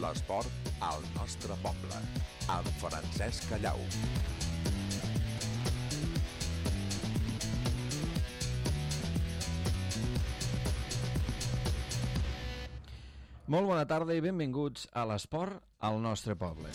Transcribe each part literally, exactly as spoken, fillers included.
L'esport al nostre poble, amb Francesc Callau. Molt bona tarda i benvinguts a l'esport al nostre poble.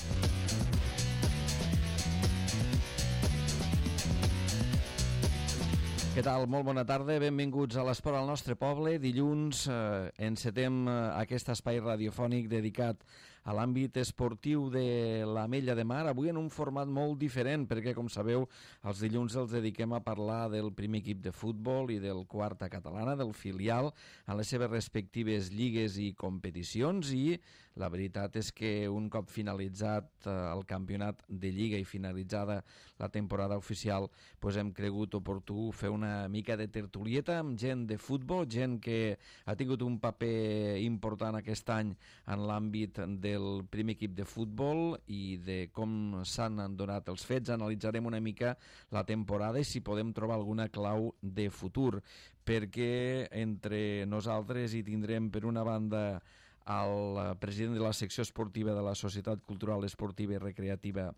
Què tal? Molt bona tarda, benvinguts a l'Esport al nostre poble. Dilluns eh, encetem eh, aquest espai radiofònic dedicat a l'àmbit esportiu de l'Ametlla de Mar, avui en un format molt diferent, perquè, com sabeu, els dilluns els dediquem a parlar del primer equip de futbol i del quarta catalana, del filial, en les seves respectives lligues i competicions, i la veritat és que un cop finalitzat eh, el campionat de lliga i finalitzada la temporada oficial, pues hem cregut oportú fer una una mica de tertulieta amb gent de futbol, gent que ha tingut un paper important aquest any en l'àmbit del primer equip de futbol i de com s'han donat els fets. Analitzarem una mica la temporada i si podem trobar alguna clau de futur, perquè entre nosaltres hi tindrem per una banda el president de la secció esportiva de la Societat Cultural Esportiva i Recreativa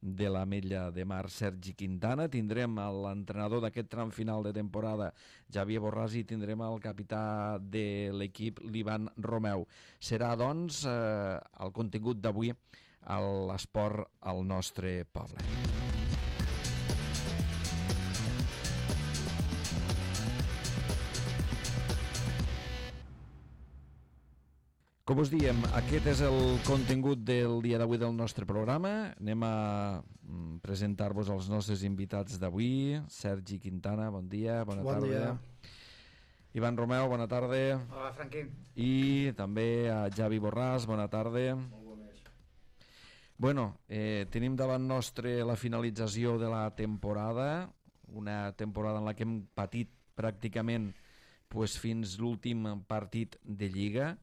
de l'Ametlla de Mar, Sergi Quintana. Tindrem l'entrenador d'aquest tram final de temporada, Javier Borràs, i tindrem el capità de l'equip, l'Ivan Romeu. Serà, doncs, eh, el contingut d'avui a l'esport al nostre poble. Com us diem, aquest és el contingut del dia d'avui del nostre programa. Anem a presentar-vos els nostres invitats d'avui. Sergi Quintana, bon dia, bona bon tarda. Dia. Ivan Romeu, bona tarda. Hola, Franqui. I també a Javi Borràs, bona tarda. Molt bones. Bueno, eh, tenim davant nostre la finalització de la temporada, una temporada en la que hem patit pràcticament pues, fins l'últim partit de Lliga.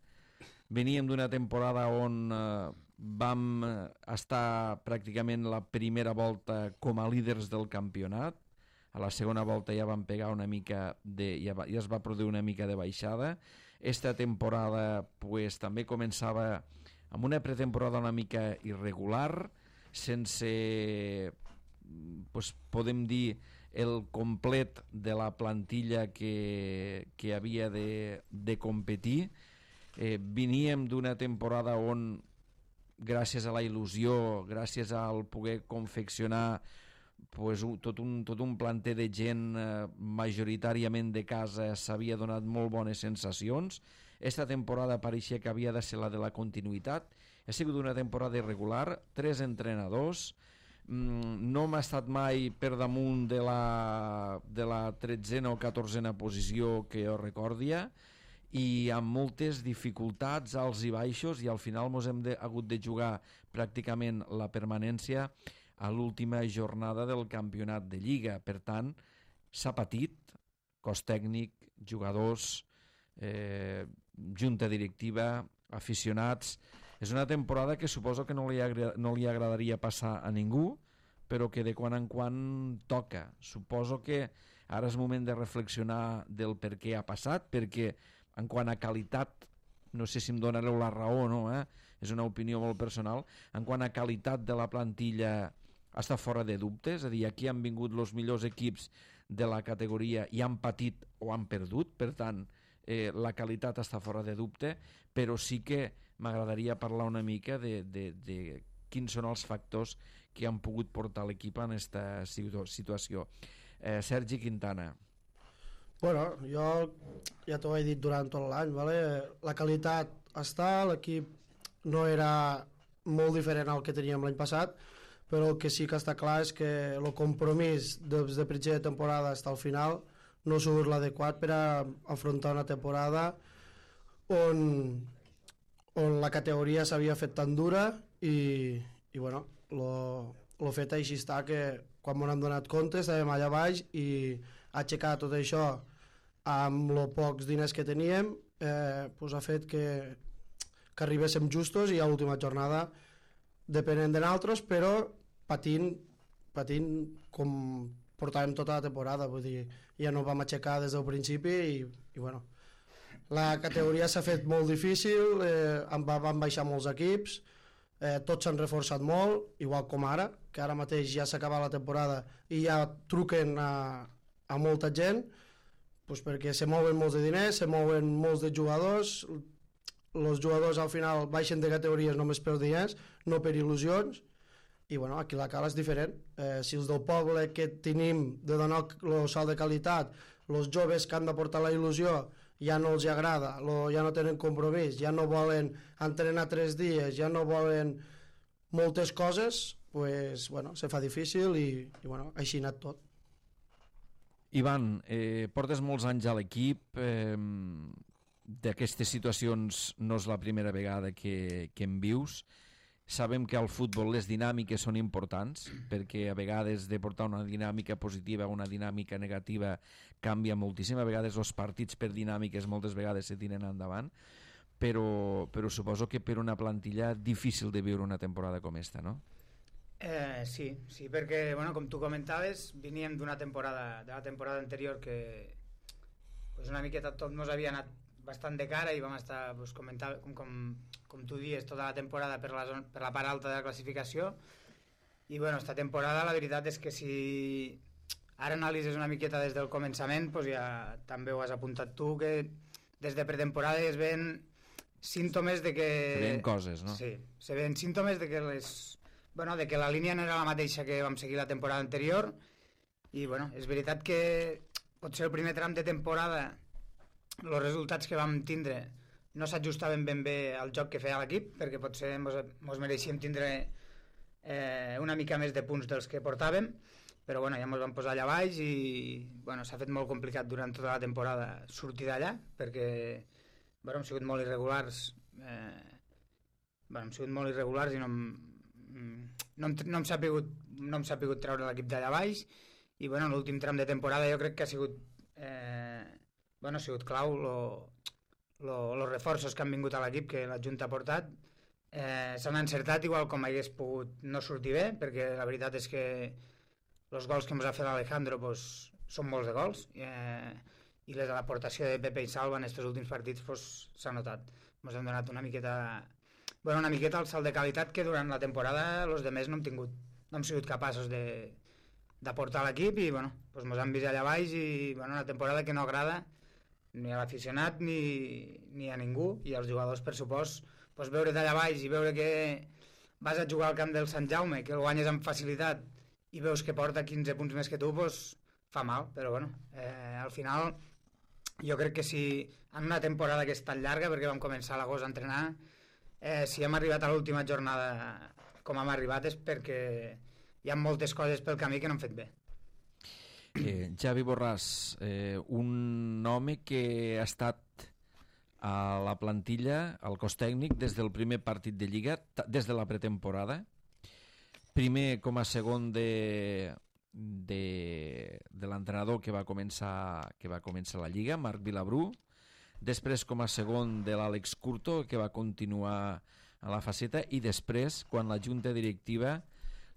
Veníem d'una temporada on eh, vam estar pràcticament la primera volta com a líders del campionat. A la segona volta ja vam pegar una mica de, ja, va, ja es va produir una mica de baixada. Esta temporada pues, també començava amb una pretemporada una mica irregular, sense, pues, podem dir, el complet de la plantilla que, que havia de, de competir. Eh, veníem d'una temporada on, gràcies a la il·lusió, gràcies al poder confeccionar pues, un, tot, un, tot un planter de gent eh, majoritàriament de casa, s'havia donat molt bones sensacions. Esta temporada pareixia que havia de ser la de la continuïtat. Ha sigut una temporada irregular, tres entrenadors, mm, no m'ha estat mai per damunt de la, de la tretzena o catorzena posició que jo recordia, i amb moltes dificultats, alts i baixos, i al final ens hem de, hagut de jugar pràcticament la permanència a l'última jornada del campionat de Lliga. Per tant, s'ha patit, cos tècnic, jugadors, eh, junta directiva, aficionats. És una temporada que suposo que no li, agra- no li agradaria passar a ningú, però que de quan en quan toca. Suposo que ara és moment de reflexionar del per què ha passat, perquè en quant a qualitat, no sé si em donareu la raó o no, eh? És una opinió molt personal, en quant a qualitat de la plantilla està fora de dubte, és a dir, aquí han vingut els millors equips de la categoria i han patit o han perdut, per tant, eh, la qualitat està fora de dubte, però sí que m'agradaria parlar una mica de, de, de quins són els factors que han pogut portar l'equip en aquesta situació. Eh, Sergi Quintana. Bueno, jo ja t'ho he dit durant tot l'any, vale? La qualitat està, l'equip no era molt diferent al que teníem l'any passat, però el que sí que està clar és que el compromís des de principi de temporada fins al final no ha sigut l'adequat per a afrontar una temporada on, on la categoria s'havia fet tan dura i, i bueno, lo, lo fet així està, que quan m'ho hem donat compte estàvem allà baix i aixecar tot això amb els pocs diners que teníem eh, pues ha fet que, que arribéssim justos i a l'última jornada depenent de nosaltres, però patint, patint com portàvem tota la temporada, vull dir, ja no vam aixecar des del principi i, i bueno, la categoria s'ha fet molt difícil, eh, van baixar molts equips, eh, tots s'han reforçat molt, igual com ara, que ara mateix ja s'ha acabat la temporada i ja truquen a, a molta gent, pues perquè se mouen molts de diners, se mouen molts de jugadors, els jugadors al final baixen de categories només per diners, no per il·lusions, i bueno, aquí la cala és diferent. Eh, si els del poble que tenim de donar el salt de qualitat, els joves que han de portar la il·lusió, ja no els agrada, lo, ja no tenen compromís, ja no volen entrenar tres dies, ja no volen moltes coses, pues, bueno, se fa difícil i, i bueno, així ha anat tot. Ivan, eh, portes molts anys a l'equip, eh, d'aquestes situacions no és la primera vegada que, que en vius. Sabem que al futbol les dinàmiques són importants, perquè a vegades de portar una dinàmica positiva a una dinàmica negativa canvia moltíssim. A vegades els partits per dinàmiques moltes vegades se tiren endavant, però, però suposo que per una plantilla difícil de viure una temporada com esta, no? Eh, sí, sí, perquè, bueno, com tu comentaves, veníem d'una temporada, de la temporada anterior que pues, una miqueta tot ens havia anat bastant de cara i vam estar, pues, comentar, com, com, com tu dius, tota la temporada per la, zona, per la part alta de la classificació. I bueno, esta temporada la veritat és que si ara analitzes una miqueta des del començament, pues ja també ho has apuntat tu, que des de pretemporada es ven símptomes de que... Se ven coses, no? Sí, se ven símptomes de que les... Bueno, de que la línia no era la mateixa que vam seguir la temporada anterior i bueno, és veritat que potser el primer tram de temporada els resultats que vam tindre no s'ajustaven ben bé al joc que feia l'equip, perquè potser mos, mos mereixíem tindre eh, una mica més de punts dels que portàvem, però bueno, ja mos vam posar allà baix i bueno, s'ha fet molt complicat durant tota la temporada sortir d'allà, perquè bueno, hem sigut molt irregulars eh, bueno, hem sigut molt irregulars i no hem, no hem, no hem sapigut no hem sapigut treure l'equip d'allà baix i bueno, l'últim tram de temporada jo crec que ha sigut eh, bueno, ha sigut clau els reforços que han vingut a l'equip que la Junta ha portat eh, s'han encertat igual com hagués pogut no sortir bé, perquè la veritat és que els gols que ens ha fet l'Alejandro pues, són molts de gols eh, i l'aportació de Pepe i Salva en aquests últims partits s'ha pues, notat, ens han donat una miqueta bueno, una miqueta el salt de qualitat que durant la temporada els demés no hem tingut, no hem sigut capaços de d'aportar a l'equip i bueno, pues ens han vist allà baix i bueno, una temporada que no agrada ni a l'aficionat ni, ni a ningú i als jugadors per supost pues, veure d'allà baix i veure que vas a jugar al camp del Sant Jaume que el guanyes amb facilitat i veus que porta quinze punts més que tu pues, fa mal, però bueno eh, al final jo crec que si en una temporada que és tan llarga perquè vam començar a l'agost a entrenar Eh, si hem arribat a l'última jornada com hem arribat és perquè hi ha moltes coses pel camí que no hem fet bé. eh, Xavi Borràs, eh, un home que ha estat a la plantilla, al cos tècnic des del primer partit de Lliga, des de la pretemporada, primer com a segon de, de, de l'entrenador que va començar que va començar la Lliga, Marc Vilabrú, després com a segon de l'Àlex Curto, que va continuar a la faceta, i després, quan la junta directiva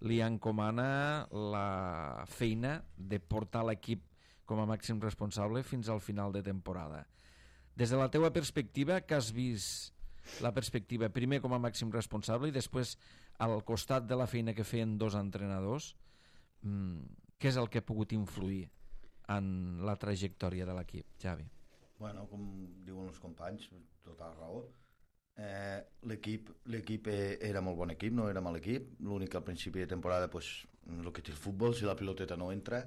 li encomana la feina de portar l'equip com a màxim responsable fins al final de temporada. Des de la teua perspectiva, que has vist la perspectiva primer com a màxim responsable i després al costat de la feina que feien dos entrenadors, què és el que ha pogut influir en la trajectòria de l'equip, Xavi? Bueno, com diuen els companys, tota la raó. Eh, l'equip l'equip era molt bon equip, no era mal equip. L'únic que al principi de temporada, pues, el que té el futbol, si la piloteta no entra,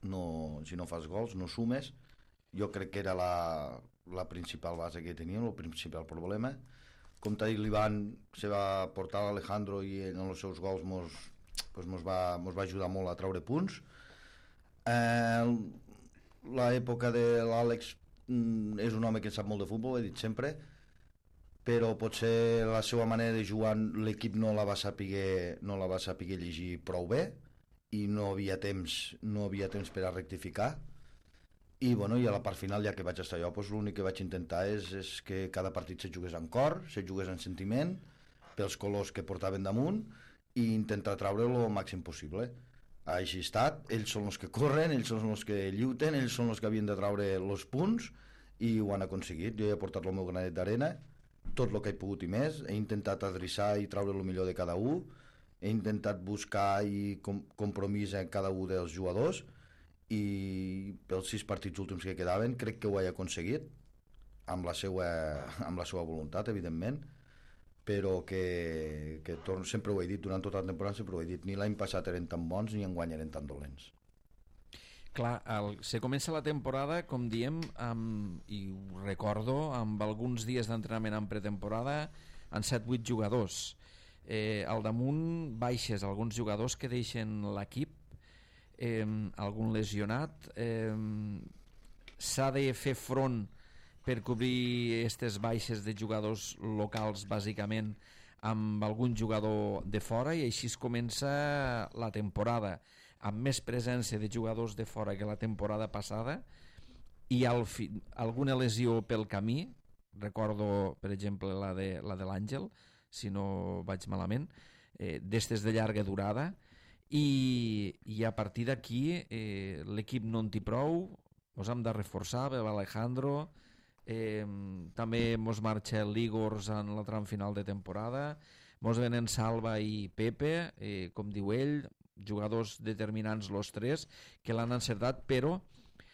no, si no fas gols, no sumes. Jo crec que era la, la principal base que teníem, el principal problema. Com t'ha dit l'Ivan, se va portar l'Alejandro i en els seus gols mos, pues, mos, va, mos va ajudar molt a treure punts. Eh, l'època de l'Àlex és un home que sap molt de futbol, he dit sempre, però potser la seva manera de jugar l'equip no la va saber, no la va saber llegir prou bé i no havia temps, no havia temps per a rectificar. I, bueno, i a la part final, ja que vaig estar jo, doncs, l'únic que vaig intentar és, és que cada partit se jugués en cor, se jugués en sentiment, pels colors que portaven damunt, i intentar treure el màxim possible. Així ha estat, ells són els que corren, ells són els que lluiten, ells són els que havien de treure els punts, i ho han aconseguit. Jo he portat el meu granet d'arena, tot el que he pogut i més, he intentat adreçar i treure el millor de cada un, he intentat buscar i com compromís en cada un dels jugadors, i pels sis partits últims que quedaven crec que ho he aconseguit amb la seva, amb la seva voluntat, evidentment, però que, que torno, sempre ho he dit durant tota la temporada, sempre ho he dit, ni l'any passat eren tan bons ni enguany eren tan dolents. Clar, el, se comença la temporada, com diem, amb, i ho recordo, amb alguns dies d'entrenament en pretemporada, en set vuit jugadors. Eh, al damunt baixes alguns jugadors que deixen l'equip, eh, algun lesionat, eh, s'ha de fer front per cobrir aquestes baixes de jugadors locals, bàsicament, amb algun jugador de fora, i així es comença la temporada, amb més presència de jugadors de fora que la temporada passada, i al fi, alguna lesió pel camí, recordo, per exemple, la de la de l'Àngel, si no vaig malament, eh, d'estes de llarga durada, i, i a partir d'aquí eh, l'equip no en té prou, ens hem de reforçar, ve l'Alejandro, eh, també mos marxa l'Igors en la tram final de temporada, mos venen Salva i Pepe, eh, com diu ell, jugadors determinants los tres, que l'han encertat, però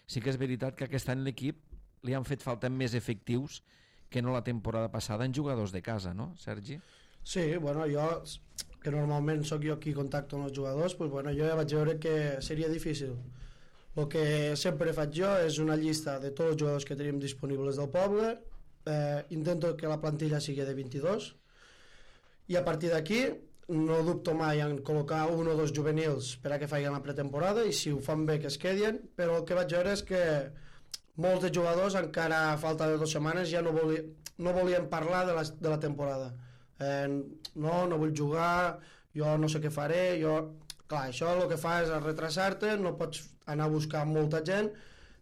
sí que és veritat que aquest any l'equip li han fet falta més efectius que no la temporada passada en jugadors de casa, no, Sergi? Sí, bueno, jo, que normalment sóc jo qui contacto amb els jugadors, pues bueno, jo ja vaig veure que seria difícil. El que sempre faig jo és una llista de tots els jugadors que tenim disponibles del poble, eh, intento que la plantilla sigui de vint-i-dos, i a partir d'aquí no dubto mai en col·locar un o dos juvenils per a que facin la pretemporada, i si ho fan bé que es quedin, però el que vaig veure és que molts de jugadors encara a falta de dues setmanes ja no, voli, no volien parlar de la, de la temporada. Eh, no, no vull jugar, jo no sé què faré, jo... Clar, això el que fa és retrasar-te, no pots anar a buscar molta gent,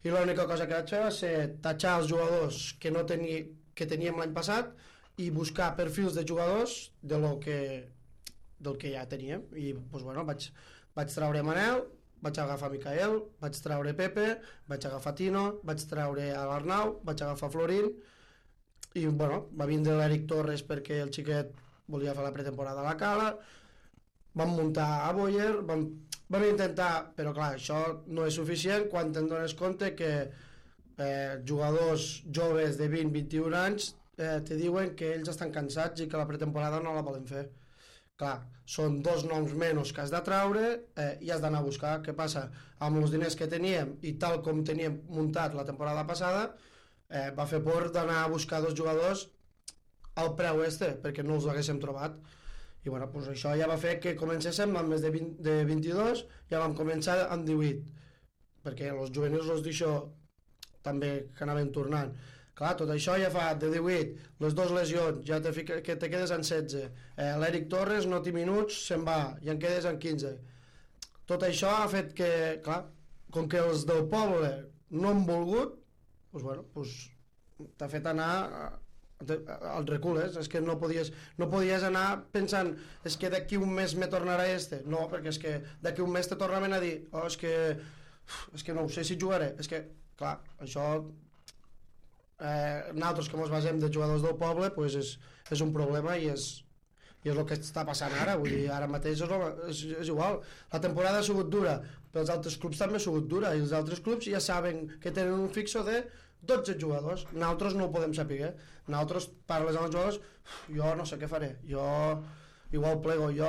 i l'única cosa que vaig fer va ser tatxar els jugadors que, no teni, que teníem l'any passat i buscar perfils de jugadors de lo que, del que ja teníem. I doncs, bueno, vaig, vaig treure Manel, vaig agafar Micael, vaig treure Pepe, vaig agafar Tino, vaig treure l'Arnau, vaig agafar Florín, i bueno, va vindre l'Eric Torres perquè el xiquet volia fer la pretemporada a la Cala, vam muntar a Boyer, vam, vam intentar, però clar, això no és suficient quan te'n dones compte que eh, jugadors joves de vint a vint-i-un anys eh, te diuen que ells estan cansats i que la pretemporada no la volen fer. Clar, són dos noms menys que has de traure eh, i has d'anar a buscar. Què passa? Amb els diners que teníem i tal com teníem muntat la temporada passada, eh, va fer por d'anar a buscar dos jugadors al preu este, perquè no els haguéssim trobat. I bueno, pues això ja va fer que comencéssim amb més de, vint, de vint-i-dos, ja vam començar amb divuit, perquè els juvenils els d'això també que anaven tornant. Clar, tot això ja fa de divuit, les dues lesions, ja te, fica, que te quedes en setze, eh, l'Eric Torres no té minuts, se'n va, i en quedes en quinze. Tot això ha fet que, clar, com que els del poble no han volgut, pues bueno, pues t'ha fet anar als recules, és que no podies, no podies anar pensant és que d'aquí un mes me tornarà este, no, perquè és que d'aquí un mes te tornaven a dir oh, és que és que no ho sé si jugaré, és que, clar, això eh, nosaltres que ens basem de jugadors del poble pues és, és un problema i és i és el que està passant ara, vull dir, ara mateix és, és, és igual, la temporada ha sigut dura, però els altres clubs també ha sigut dura, i els altres clubs ja saben que tenen un fixo de dotze jugadors, nosaltres no ho podem saber, nosaltres parles amb els jugadors, jo no sé què faré, jo igual plego, jo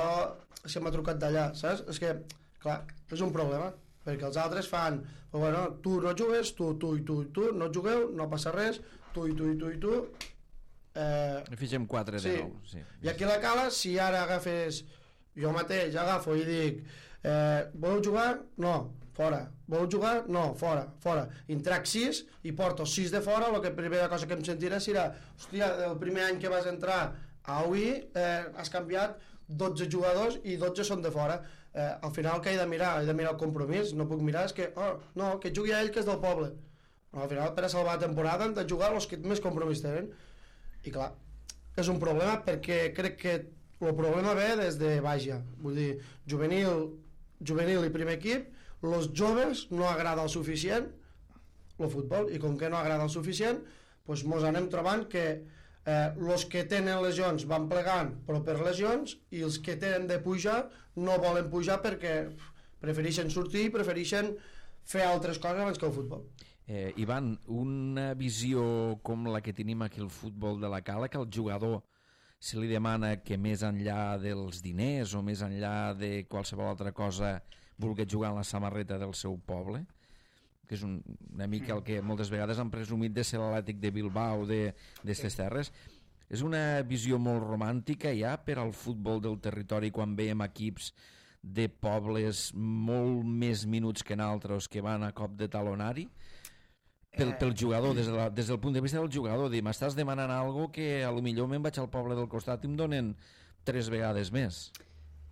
si m'ha trucat d'allà, saps? És que, clar, és un problema, perquè els altres fan, però bueno, tu no jugues, tu, tu i tu i tu, no jugueu, no passa res, tu i tu i tu i tu, Eh, fixem quatre de sí. nou. Sí. I aquí a la Cala, si ara agafes, jo mateix agafo i dic, eh, voleu jugar? No, fora. Voleu jugar? No, fora, fora. I trac sis i porto sis de fora, la primera cosa que em sentirà serà, hòstia, el primer any que vas entrar a U I eh, has canviat dotze jugadors i dotze són de fora. Eh, al final que he de mirar? He de mirar el compromís, no puc mirar, és que, oh, no, que jugui a ell que és del poble. No, al final, per a salvar la temporada han de jugar els que més compromís tenen. I clar, és un problema perquè crec que el problema ve des de Baixa, vull dir, juvenil, juvenil i primer equip, els joves no agrada el suficient, el futbol, i com que no agrada el suficient, doncs mos anem trobant que eh, els que tenen lesions van plegant però per lesions, i els que tenen de pujar no volen pujar perquè prefereixen sortir, prefereixen fer altres coses abans que el futbol. Eh, Ivan, una visió com la que tenim aquí al futbol de la Cala, que el jugador se li demana que més enllà dels diners o més enllà de qualsevol altra cosa vulgui jugar en la samarreta del seu poble, que és un, una mica el que moltes vegades han presumit de ser l'Atlètic de Bilbao d'estes terres. És una visió molt romàntica ja per al futbol del territori, quan veiem equips de pobles molt més minuts que naltros que van a cop de talonari pel, pel jugador, des, de la, des del punt de vista del jugador, dir, m'estàs demanant alguna cosa que a lo millor me'n vaig al poble del costat i em donen tres vegades més.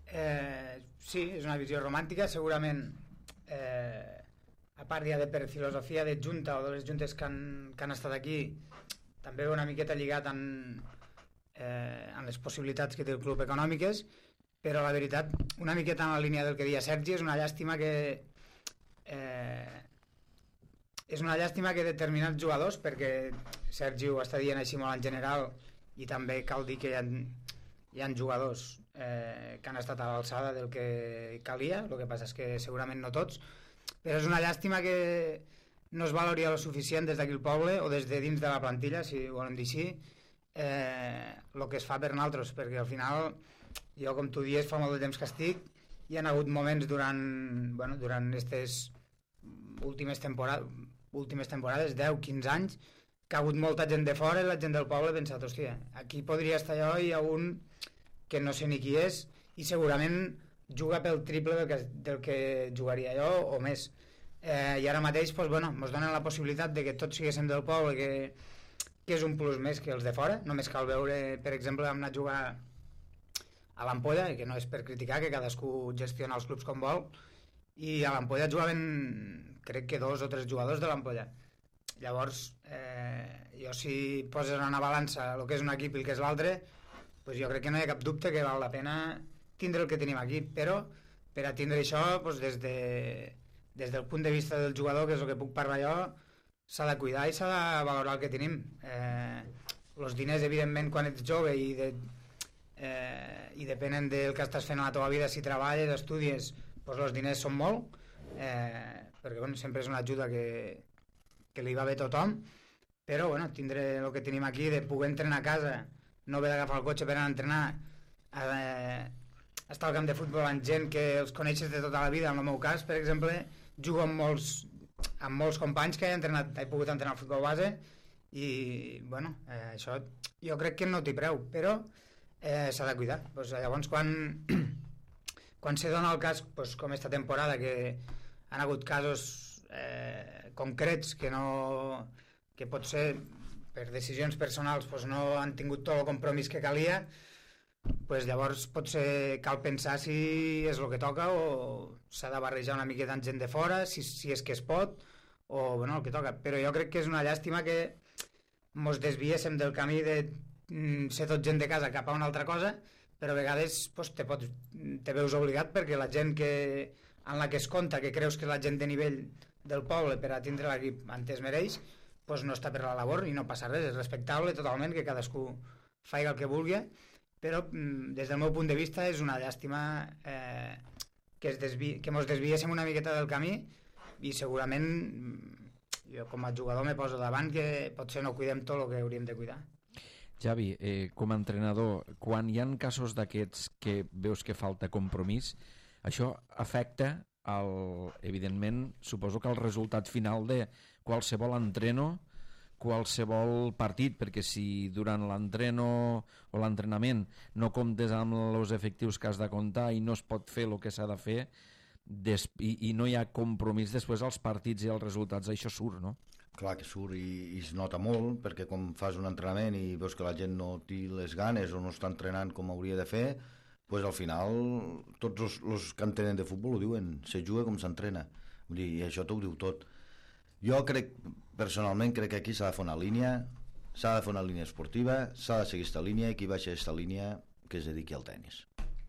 Eh, sí, és una visió romàntica, segurament eh, a part ja de per filosofia de junta o de les juntes que han, que han estat aquí, també una miqueta lligat en, eh, en les possibilitats que té el club econòmiques, però la veritat, una miqueta en la línia del que deia Sergi, és una llàstima que eh, és una llàstima que determinats jugadors, perquè Sergi ho està dient així molt en general, i també cal dir que hi ha, hi ha jugadors eh, que han estat a l'alçada del que calia, el que passa és que segurament no tots, però és una llàstima que no es valori el suficient des d'aquí al poble o des de dins de la plantilla, si ho volem dir així, eh, el que es fa per nosaltres, perquè al final jo, com tu dius, fa molt de temps que estic, hi ha hagut moments durant bueno, durant aquestes últimes temporades últimes temporades, deu quinze anys, que ha hagut molta gent de fora i la gent del poble ha pensat, hòstia, aquí podria estar jo i hi ha un que no sé ni qui és i segurament juga pel triple del que, del que jugaria jo o més. Eh, I ara mateix doncs, bueno, ens donen la possibilitat de que tots siguéssim del poble, que, que és un plus més que els de fora. Només cal veure, per exemple, hem anat a jugar a l'Ampolla, que no és per criticar, que cadascú gestiona els clubs com vol, i a l'Ampolla jugaven, crec que dos o tres jugadors de l'Ampolla. Llavors, eh, jo si poses en una balança el que és un equip i el que és l'altre, pues jo crec que no hi ha cap dubte que val la pena tindre el que tenim aquí, però per a tindre això, pues des, de, des del punt de vista del jugador, que és el que puc parlar jo, s'ha de cuidar i s'ha de valorar el que tenim. Eh, els diners, evidentment, quan ets jove i, de, eh, i depenen del que estàs fent a la teva vida, si treballes, estudies, pues els diners són molt, eh, perquè bueno, sempre és una ajuda que, que li va bé a tothom, però bueno, tindre el que tenim aquí, de poder entrenar a casa, no haver d'agafar el cotxe per anar a entrenar, eh, estar al camp de futbol amb gent que els coneixes de tota la vida. En el meu cas, per exemple, jugo amb molts, amb molts companys que he, entrenat, he pogut entrenar al futbol base i bueno, eh, això jo crec que no té preu, però eh, s'ha de cuidar. Pues, llavors quan quan se dona el cas, pues, com esta temporada, que han hagut casos eh, concrets que no que potser per decisions personals pues, no han tingut tot el compromís que calia, pues, llavors potser cal pensar si és el que toca o s'ha de barrejar una miqueta amb gent de fora, si, si és que es pot, o bueno, el que toca. Però jo crec que és una llàstima que mos desviéssim del camí de mm, ser tot gent de casa cap a una altra cosa, però a vegades pues, te, pots, te veus obligat perquè la gent que, en la que es compta, que creus que és la gent de nivell del poble per a tindre l'equip on es mereix, pues, no està per la labor i no passa res, és respectable totalment que cadascú faci el que vulgui, però des del meu punt de vista és una llàstima eh, que, es desvi, que mos desviéssim una miqueta del camí i segurament jo com a jugador me poso davant que potser no cuidem tot el que hauríem de cuidar. Javi, eh, com a entrenador, quan hi ha casos d'aquests que veus que falta compromís, això afecta, el, evidentment, suposo que el resultat final de qualsevol entreno, qualsevol partit, perquè si durant l'entreno o l'entrenament no comptes amb els efectius que has de comptar i no es pot fer el que s'ha de fer des, i, i no hi ha compromís després als partits i als resultats, això surt, no? Clar que surt i, i es nota molt, perquè quan fas un entrenament i veus que la gent no té les ganes o no està entrenant com hauria de fer, pues al final tots els, els que entenen de futbol ho diuen, se juga com s'entrena, vull dir, i això t'ho diu tot. Jo crec, personalment, crec que aquí s'ha de fer una línia, s'ha de fer una línia esportiva, s'ha de seguir aquesta línia i qui baixa aquesta línia que es dediqui al tennis.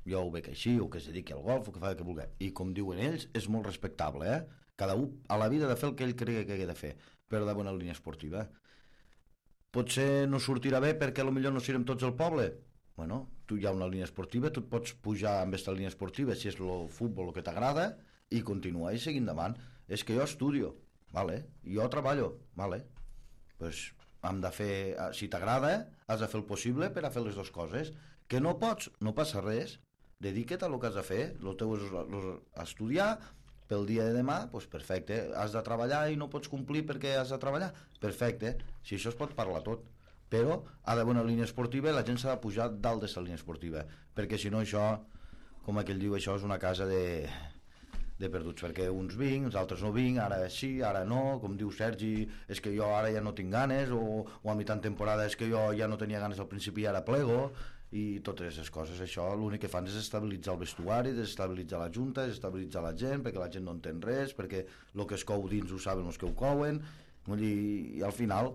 Jo ho veig així, o que es dediqui al golf, o que fa el que vulgui. I com diuen ells, és molt respectable, eh? Cada un a la vida ha de fer el que ell cregui que ha de fer. per de bona línia esportiva. Potser no sortirà bé perquè potser no serem tots al poble. Bueno, tu hi ha una línia esportiva, tu et pots pujar amb aquesta línia esportiva si és el futbol el que t'agrada i continuar i seguir endavant. És que jo estudio, vale? Jo treballo, vale? Pues hem de fer, si t'agrada, has de fer el possible per a fer les dues coses. Que no pots, no passa res, dedica't a el que has de fer, el teu és estudiar, pel dia de demà, doncs perfecte, has de treballar i no pots complir perquè has de treballar, perfecte, si això es pot parlar tot, però ha d'haver una línia esportiva i la gent s'ha de pujar dalt de la línia esportiva, perquè si no això, com aquell diu, això és una casa de, de perduts, perquè uns vinc, els altres no vinc, ara sí, ara no, com diu Sergi, és que jo ara ja no tinc ganes, o, o a mitjan temporada és que jo ja no tenia ganes al principi i ara plego, i totes aquestes coses. Això l'únic que fan és estabilitzar el vestuari, desestabilitzar la junta, desestabilitzar la gent, perquè la gent no entén res, perquè el que es cou dins ho saben els que ho couen, i, i al final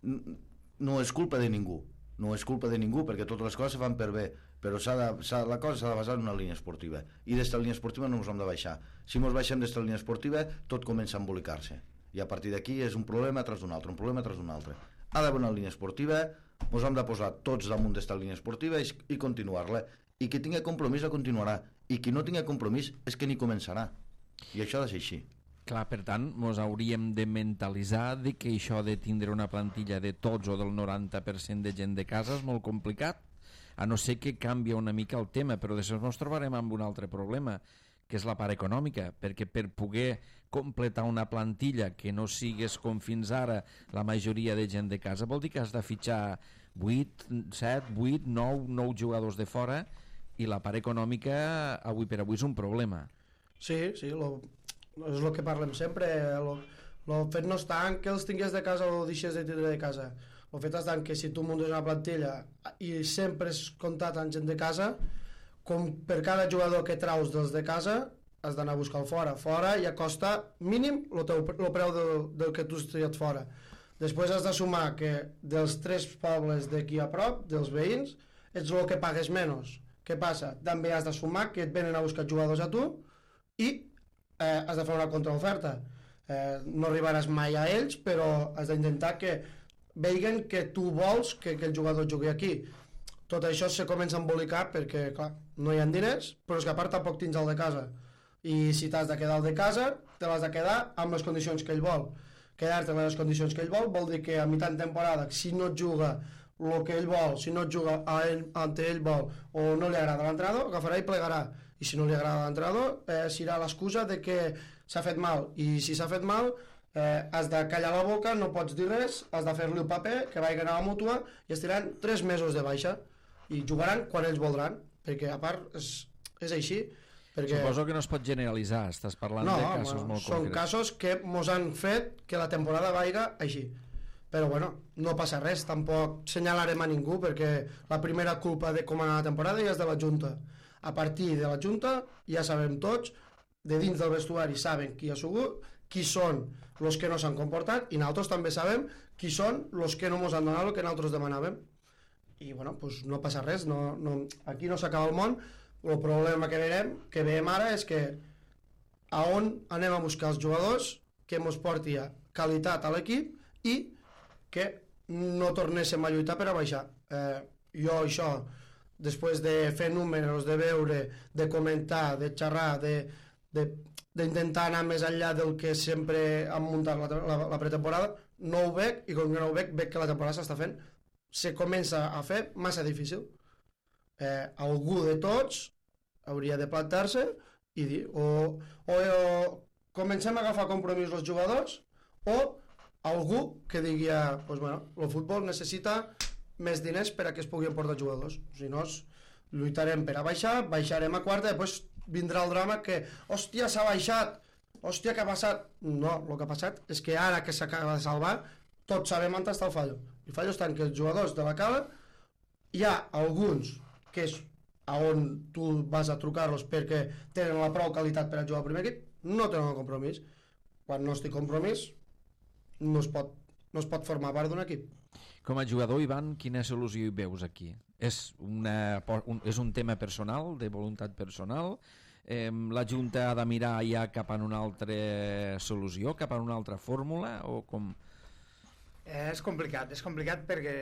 no és culpa de ningú, no és culpa de ningú, perquè totes les coses se fan per bé, però s'ha de, s'ha, la cosa s'ha de basar en una línia esportiva, i d'esta línia esportiva no ens hem de baixar. Si ens baixem d'esta línia esportiva, tot comença a embolicar-se, i a partir d'aquí és un problema tras d'un altre, un problema tras d'un altre. Ha d'haver una línia esportiva, ens hem de posar tots damunt d'esta línia esportiva i, i continuar-la, i qui tingui compromís la continuarà, i qui no tingui compromís és que ni començarà, i això ha de ser així. Clar, per tant, ens hauríem de mentalitzar de que això de tindre una plantilla de tots o del noranta per cent de gent de casa és molt complicat, a no ser que canvia una mica el tema, però després ens trobarem amb un altre problema, que és la part econòmica, perquè per poder completar una plantilla que no sigues com fins ara la majoria de gent de casa, vol dir que has de fitxar vuit, set, vuit, nou, nou jugadors de fora, i la part econòmica avui per avui és un problema. Sí, sí, lo, és el que parlem sempre, el fet no està en que els tingués de casa o deixes de tindre de casa, el fet està en que si tu muntes una plantilla i sempre és comptat amb gent de casa, com per cada jugador que traus dels de casa has d'anar a buscar fora, fora ja costa mínim el, teu, el preu del, del que tu has triat fora. Després has de sumar que dels tres pobles d'aquí a prop, dels veïns, ets el que pagues menys. Què passa? També has de sumar que et venen a buscar jugadors a tu i eh, has de fer una contraoferta. Eh, no arribaràs mai a ells, però has d'intentar que veguen que tu vols que, que el jugador jugui aquí. Tot això se comença a embolicar perquè, clar, no hi ha diners, però és que a part tampoc tens el de casa. I si t'has de quedar al de casa, te l'has de quedar amb les condicions que ell vol. Quedar-te amb les condicions que ell vol vol dir que a mitjan temporada, si no et juga el que ell vol, si no et juga a ell, ante ell vol, o no li agrada l'entrenador, agafarà i plegarà. I si no li agrada l'entrenador, eh, serà l'excusa de que s'ha fet mal. I si s'ha fet mal, eh, has de callar la boca, no pots dir res, has de fer-li el paper, que vagi a la mútua, i estiran tres mesos de baixa. I jugaran quan ells voldran, perquè a part és, és així. Perquè... Suposo que no es pot generalitzar, estàs parlant no, de casos bueno, molt són concrets. casos que mos han fet que la temporada vaiga així. Però bueno, no passa res, tampoc senyalarem a ningú, perquè la primera culpa de com anar la temporada ja és de la Junta. A partir de la Junta ja sabem tots, de dins del vestuari saben qui ha sigut, qui són els que no s'han comportat, i nosaltres també sabem qui són els que no ens han donat el que nosaltres demanàvem. I bueno, pues no passa res, no, no, aquí no s'acaba el món. El problema que veiem, que veiem ara és que a on anem a buscar els jugadors que ens porti a qualitat a l'equip i que no tornéssim a lluitar per a baixar. Eh, jo això, després de fer números, de veure, de comentar, de xerrar, de, de, d'intentar anar més enllà del que sempre han muntat la, la, la pretemporada, no ho veig, i com que no ho veig, veig que la temporada s'està fent, se comença a fer massa difícil. Eh, algú de tots hauria de plantar-se i dir o, o, o comencem a agafar compromís els jugadors, o algú que digui pues bueno, el futbol necessita més diners per a que es puguin portar jugadors, si no lluitarem per a baixar, baixarem a quarta, després vindrà el drama que hòstia s'ha baixat, hòstia què ha passat. No, el que ha passat és que ara que s'acaba de salvar tots sabem on està el fallo. El fallo està en que els jugadors de la cala hi ha alguns que és a on tu vas a trucar-los perquè tenen la prou qualitat per a jugar al primer equip, no tenen el compromís. Quan no estic compromís no es pot, no es pot formar part d'un equip. Com a jugador, Ivan, quina solució hi veus aquí? És, una, un, és un tema personal, de voluntat personal? eh, la Junta ha de mirar ja cap a una altra solució, cap a una altra fórmula, o com? Eh, és complicat, és complicat perquè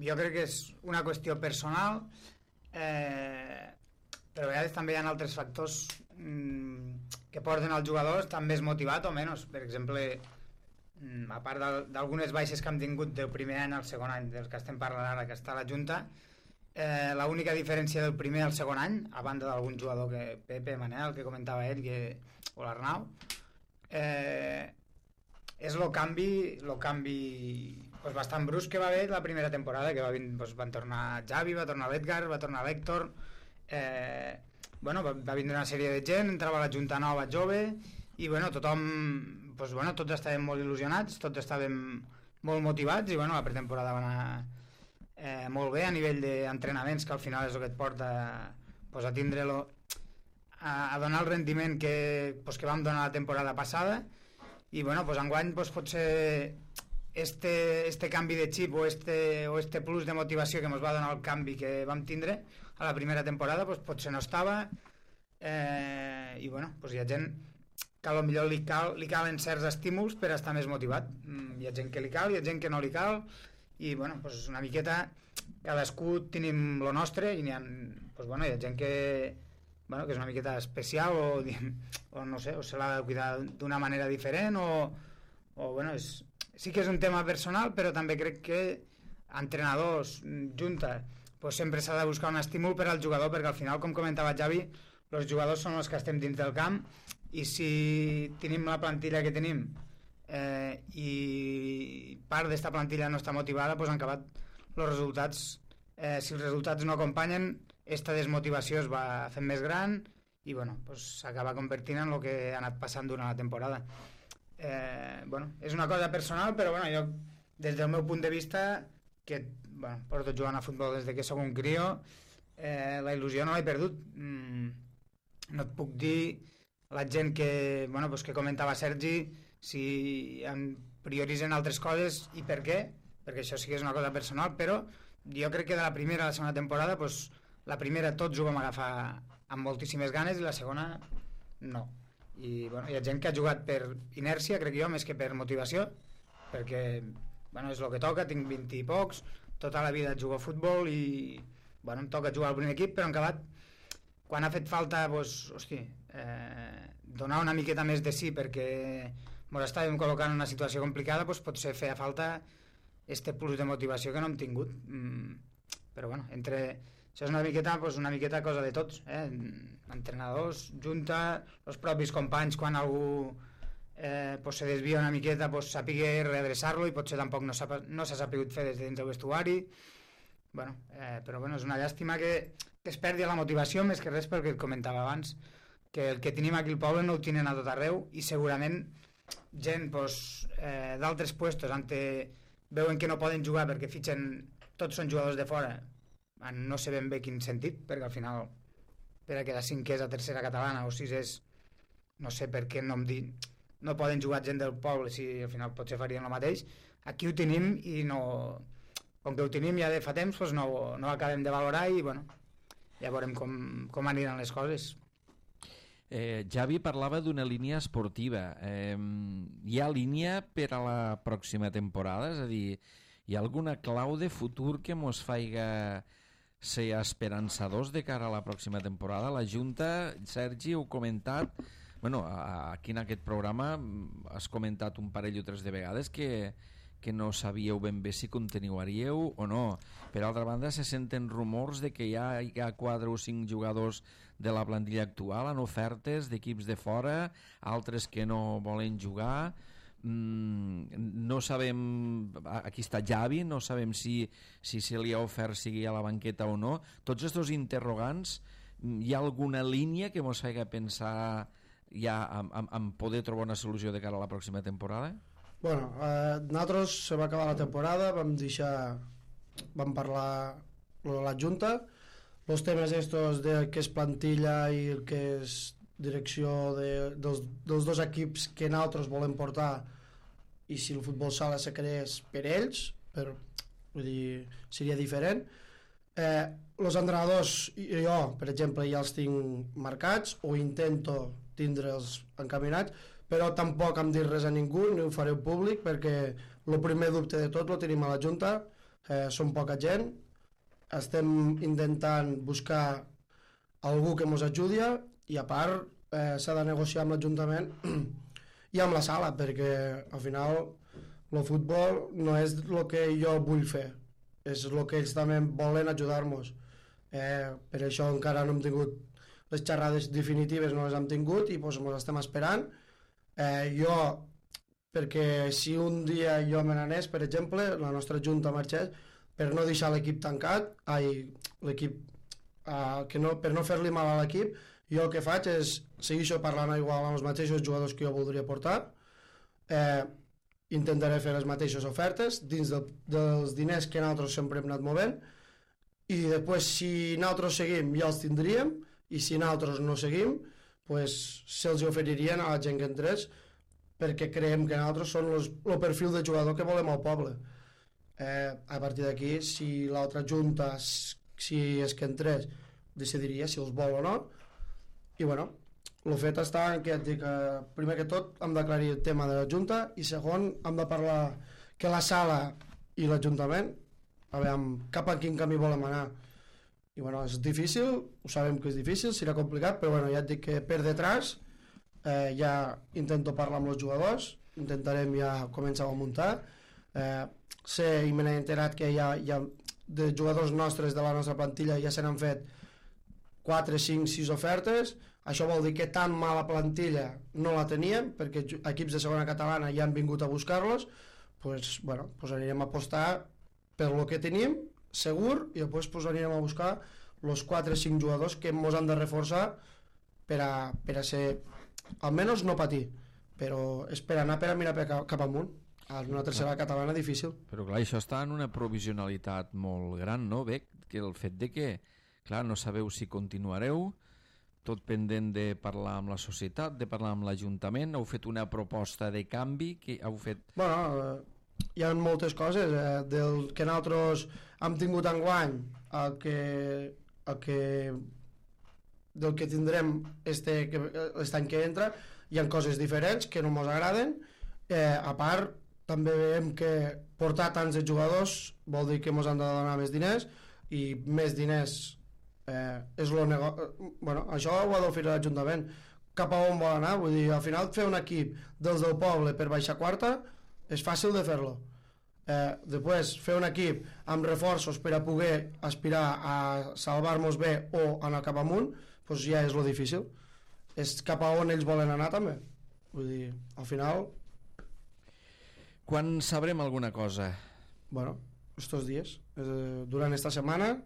jo crec que és una qüestió personal, eh, però a vegades també hi ha altres factors mm, que porten als jugadors estar més motivat o menys. Per exemple, mm, a part d'algunes baixes que hem tingut del primer any al segon any, dels que estem parlant ara, que està a la Junta, eh, l'única diferència del primer al segon any, a banda d'algun jugador, que Pepe, Manel, que comentava ell, que, o l'Arnau, eh, és el canvi, lo canvi pues, bastant brusc que va haver la primera temporada, que va, pues, van tornar Xavi, va tornar l'Edgar, va tornar l'Héctor, eh, bueno, va, va vindre una sèrie de gent, entrava la Junta nova, jove, i bueno, tothom, pues, bueno, tots estàvem molt il·lusionats, tots estàvem molt motivats, i bueno, la pretemporada va anar eh, molt bé a nivell d'entrenaments, que al final és el que et porta pues, a tindre-lo, a, a donar el rendiment que, pues, que vam donar la temporada passada. I bueno, pues enguany pues, potser este, este canvi de xip o este, o este plus de motivació que ens va donar el canvi que vam tindre a la primera temporada pues, potser no estava, eh, i bueno, pues hi ha gent que potser li, cal, li calen certs estímuls per estar més motivat. Mm, hi ha gent que li cal, hi ha gent que no li cal, i bueno, pues una miqueta cadascú tenim lo nostre, i n'hi ha, pues, bueno, hi ha gent que bueno, que és una miqueta especial o, o no sé, o se l'ha de cuidar d'una manera diferent o, o bueno, és, sí que és un tema personal, però també crec que entrenadors, Junta, pues sempre s'ha de buscar un estímul per al jugador, perquè al final, com comentava Xavi, els jugadors són els que estem dins del camp, i si tenim la plantilla que tenim eh, i part d'esta plantilla no està motivada, pues han acabat els resultats, eh, si els resultats no acompanyen, esta desmotivació es va fent més gran i bueno, pues s'acaba convertint en el que ha anat passant durant la temporada. Eh, bueno, és una cosa personal, però bueno, jo des del meu punt de vista, que bueno, porto jugant a futbol des de que sóc un crio, eh, la il·lusió no l'he perdut. Mm, no et puc dir la gent que, bueno, pues que comentava Sergi, si en prioritzen altres coses i per què, perquè això sí que és una cosa personal, però jo crec que de la primera a la segona temporada pues, la primera tots ho vam agafar amb moltíssimes ganes i la segona no. I bueno, hi ha gent que ha jugat per inèrcia, crec jo, més que per motivació, perquè bueno, és el que toca, tinc vint i pocs, tota la vida jugo a futbol i bueno, em toca jugar al primer equip, però en acabat, quan ha fet falta pues, hosti, eh, donar una miqueta més de sí perquè ens estàvem col·locant en una situació complicada, pues, potser feia falta este plus de motivació que no hem tingut. Mm, però bueno, entre... Això és una miqueta, pues, una miqueta cosa de tots, eh? Entrenadors, Junta, els propis companys, quan algú eh, pues, se desvia una miqueta, pues, sàpiga readreçar-lo i potser tampoc no s'ha no sapigut fer des de dins del vestuari. Bueno, eh, però bueno, és una llàstima que, que es perdi la motivació, més que res perquè et comentava abans, que el que tenim aquí al poble no ho tenen a tot arreu i segurament gent pues, eh, d'altres puestos on veuen que no poden jugar perquè fitxen, tots són jugadors de fora, no sé ben bé quin sentit, perquè al final per a quedar cinquers a tercera catalana o sisers, no sé per què no em di... no poden jugar gent del poble si al final potser farien el mateix. Aquí ho tenim i no, com que ho tenim ja de fa temps doncs no, no acabem de valorar i bueno, ja veurem com, com aniran les coses. Eh, Xavi parlava d'una línia esportiva. Eh, hi ha línia per a la pròxima temporada? És a dir, hi ha alguna clau de futur que mos faiga ser esperançadors de cara a la pròxima temporada? La Junta, Sergi, heu comentat, bueno, aquí en aquest programa has comentat un parell o tres de vegades que, que no sabíeu ben bé si continuaríeu o no. Per altra banda, se senten rumors de que ja hi ha quatre o cinc jugadors de la plantilla actual en ofertes d'equips de fora, altres que no volen jugar. No sabem, aquí està Xavi, no sabem si, si se li ha ofert sigui a la banqueta o no. Tots aquests interrogants, hi ha alguna línia que ens faci pensar ja en, en, en poder trobar una solució de cara a la pròxima temporada? Bueno, eh, nosaltres se va acabar la temporada, vam deixar, vam parlar de la Junta, els temes estos de què és plantilla i el que és direcció de, dels, dels dos equips que nosaltres volem portar i si el futbol sala se creés per ells, per, vull dir, seria diferent. Eh, els entrenadors, jo, per exemple, ja els tinc marcats o intento tindre'ls encaminats, però tampoc em dir res a ningú, ni ho faré públic, perquè el primer dubte de tot lo tenim a la Junta, eh, som poca gent, estem intentant buscar algú que ens ajudi i a part eh, s'ha de negociar amb l'Ajuntament i amb la sala, perquè al final el futbol no és el que jo vull fer, és el que ells també volen ajudar-nos. Eh, per això encara no hem tingut les xerrades definitives, no les hem tingut i doncs ens estem esperant. Eh, jo, perquè si un dia jo me n'anés, per exemple, la nostra junta marxés, per no deixar l'equip tancat, ai, l'equip, eh, que no, per no fer-li mal a l'equip, jo el que faig és seguir parlant igual amb els mateixos jugadors que jo voldria portar, eh, intentaré fer les mateixes ofertes dins de, dels diners que nosaltres sempre hem anat movent i després si nosaltres seguim ja els tindríem i si nosaltres no seguim pues, se'ls oferirien a la gent que entrés perquè creiem que nosaltres són los, el perfil de jugador que volem al poble. Eh, a partir d'aquí si l'altra junta si és que entrés decidiria si els vol o no i bueno, el fet està en que, dic, eh, primer que tot hem d'aclarir el tema de la Junta i segon hem de parlar que la sala i l'Ajuntament a veure cap a quin camí volem anar i bueno, és difícil, ho sabem que és difícil, serà complicat, però bueno, ja et dic que per detrás eh, ja intento parlar amb els jugadors, intentarem ja començar a muntar, eh, sé i me n'he enterat que ja, ja de jugadors nostres de la nostra plantilla ja se n'han fet quatre, cinc, sis ofertes. Això vol dir que tan mala plantilla no la teníem, perquè equips de segona catalana ja han vingut a buscar-los, pues, bueno, pues anirem a apostar per lo que tenim, segur, i després pues, anirem a buscar els quatre o cinc jugadors que ens han de reforçar per a, per a ser, almenys no patir, però és per anar per a mirar per cap amunt. A una tercera catalana difícil. Però clar, això està en una provisionalitat molt gran, no, Bec? Que el fet de que, clar, no sabeu si continuareu, tot pendent de parlar amb la societat, de parlar amb l'Ajuntament, heu fet una proposta de canvi, que heu fet... Bueno, eh, hi ha moltes coses, eh, del que nosaltres hem tingut enguany, el que, el que, del que tindrem este, l'any que entra, hi ha coses diferents que no ens agraden, eh, a part, també veiem que portar tants de jugadors vol dir que ens han de donar més diners, i més diners Eh, és lo nego... bueno, això ho ha d'oferir l'Ajuntament cap a on vol anar, vull dir, al final fer un equip dels del poble per baixar quarta és fàcil de fer-lo eh, després fer un equip amb reforços per a poder aspirar a salvar-nos bé o anar cap amunt, doncs ja és lo difícil, és cap a on ells volen anar també, vull dir, al final quan sabrem alguna cosa? Bueno, estos dies eh, durant esta setmana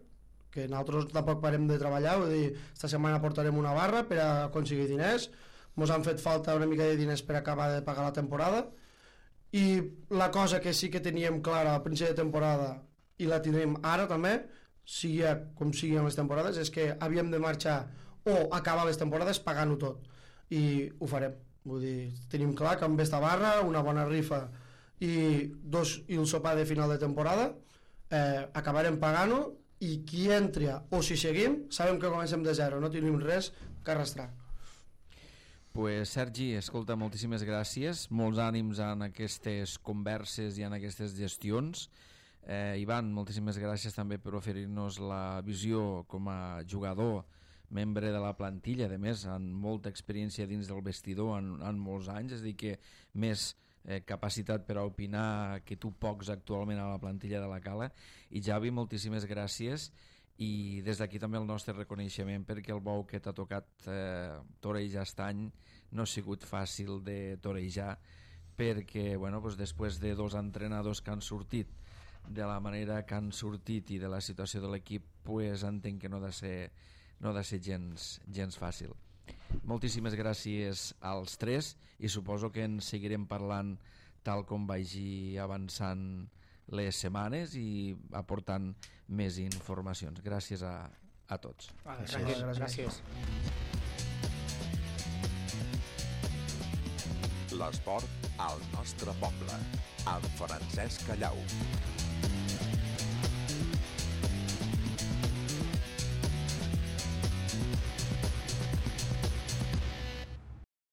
que nosaltres tampoc parem de treballar, vull dir, esta setmana portarem una barra per a aconseguir diners, ens han fet falta una mica de diners per acabar de pagar la temporada i la cosa que sí que teníem clara al principi de temporada i la tindrem ara també, sigui com sigui en les temporades, és que havíem de marxar o acabar les temporades pagant-ho tot i ho farem, vull dir, tenim clar que amb esta barra, una bona rifa i, dos, i el sopar de final de temporada eh, acabarem pagant-ho i qui entra o si seguim sabem que comencem de zero, no tenim res que arrastrar. Pues Sergi, escolta, moltíssimes gràcies, molts ànims en aquestes converses i en aquestes gestions. eh, Ivan, moltíssimes gràcies també per oferir-nos la visió com a jugador, membre de la plantilla, a més amb molta experiència dins del vestidor en, en molts anys, és a dir que més Eh, capacitat per a opinar que tu pocs actualment a la plantilla de la Cala. I Javi, moltíssimes gràcies i des d'aquí també el nostre reconeixement perquè el bou que t'ha tocat eh, torejar aquest any no ha sigut fàcil de torejar perquè bueno, doncs després de dos entrenadors que han sortit de la manera que han sortit i de la situació de l'equip pues, entenc que no ha de ser, no ha de ser gens, gens fàcil. Moltíssimes gràcies als tres i suposo que en seguirem parlant tal com vagi avançant les setmanes i aportant més informacions. Gràcies a, a tots. Vale, gràcies. gràcies. L'esport al nostre poble, amb Francesc Callau.